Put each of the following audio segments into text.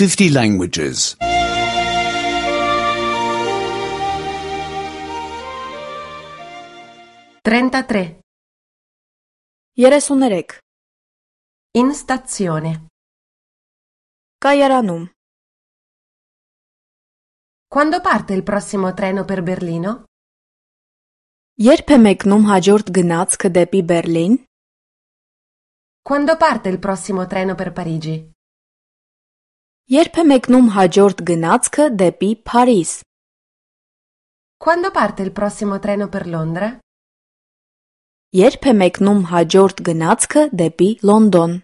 50 languages. 33. 33. In stazione. Կայարանում. Quando parte il prossimo treno per Berlino? Երբ է մեկնում հաջորդ գնացքը դեպի Բերլին? Quando parte il prossimo treno per Parigi? Երբ է մեկնում հաջորդ գնացքը դեպի Փարիզ? Quando parte il prossimo treno per Londra? Երբ է մեկնում հաջորդ գնացքը դեպի Լոնդոն?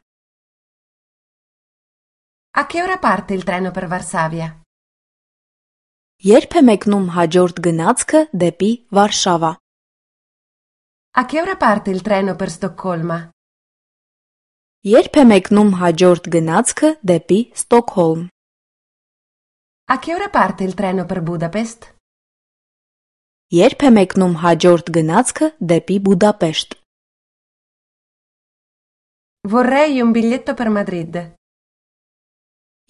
A che ora parte il treno per Varsavia? Երբ է մեկնում հաջորդ գնացքը դեպի Վարշավա? A che ora parte il treno per Stoccolma? Երբ է մեկնում հաջորդ գնացքը դեպի Ստոկհոլմ? A che ora parte il treno per Budapest? Երբ է մեկնում հաջորդ գնացքը դեպի Բուդապեշտ? Vorrei un biglietto per Madrid.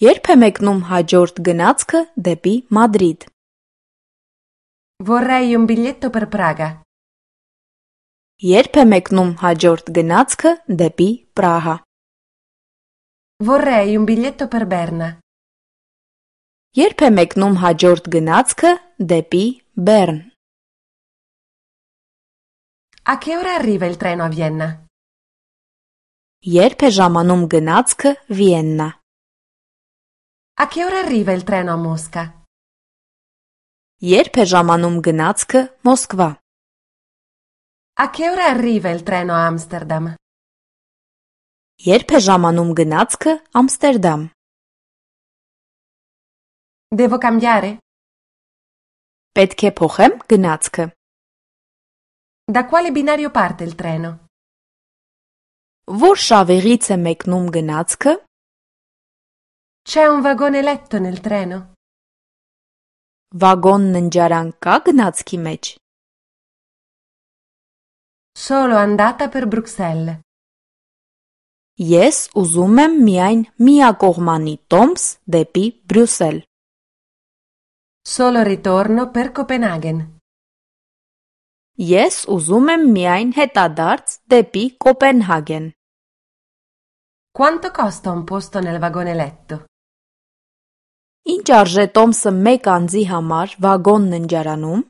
Երբ է մեկնում հաջորդ գնացքը դեպի Մադրիդ? Vorrei un biglietto per Praga. Երբ է մեկնում հաջորդ գնացքը դեպի Պրահա? Vorrei un biglietto per Berna. Երբ է մեկնում հաջորդ գնացքը դեպի Բեռն? A che ora arriva il treno a Vienna? Երբ է ժամանում գնացքը Վիեննա? A che ora arriva il treno a Mosca? Երբ է ժամանում գնացքը Մոսկվա? A che ora arriva il treno a Amsterdam? Երբ է ժամանում գնացքը Ամստերդամ? Devo cambiare? Պետք է փոխեմ գնացքը? Da quale binario parte il treno? Որ շավիղից է մեկնում գնացքը? C'è un vagone letto nel treno? Վագոն ննջարան կա գնացքի մեջ? Solo andata per Bruxelles. Ես ուզում եմ միայն միակողմանի տոմս դեպի Բրյուսել. Solo ritorno per Copenaghen. Ես ուզում եմ միայն հետադարձ դեպի Կոպենհագեն. Quanto costa un posto nel vagone letto? Ինչ արժե տոմսը մեկ անձի համար վագոն ննջարանում?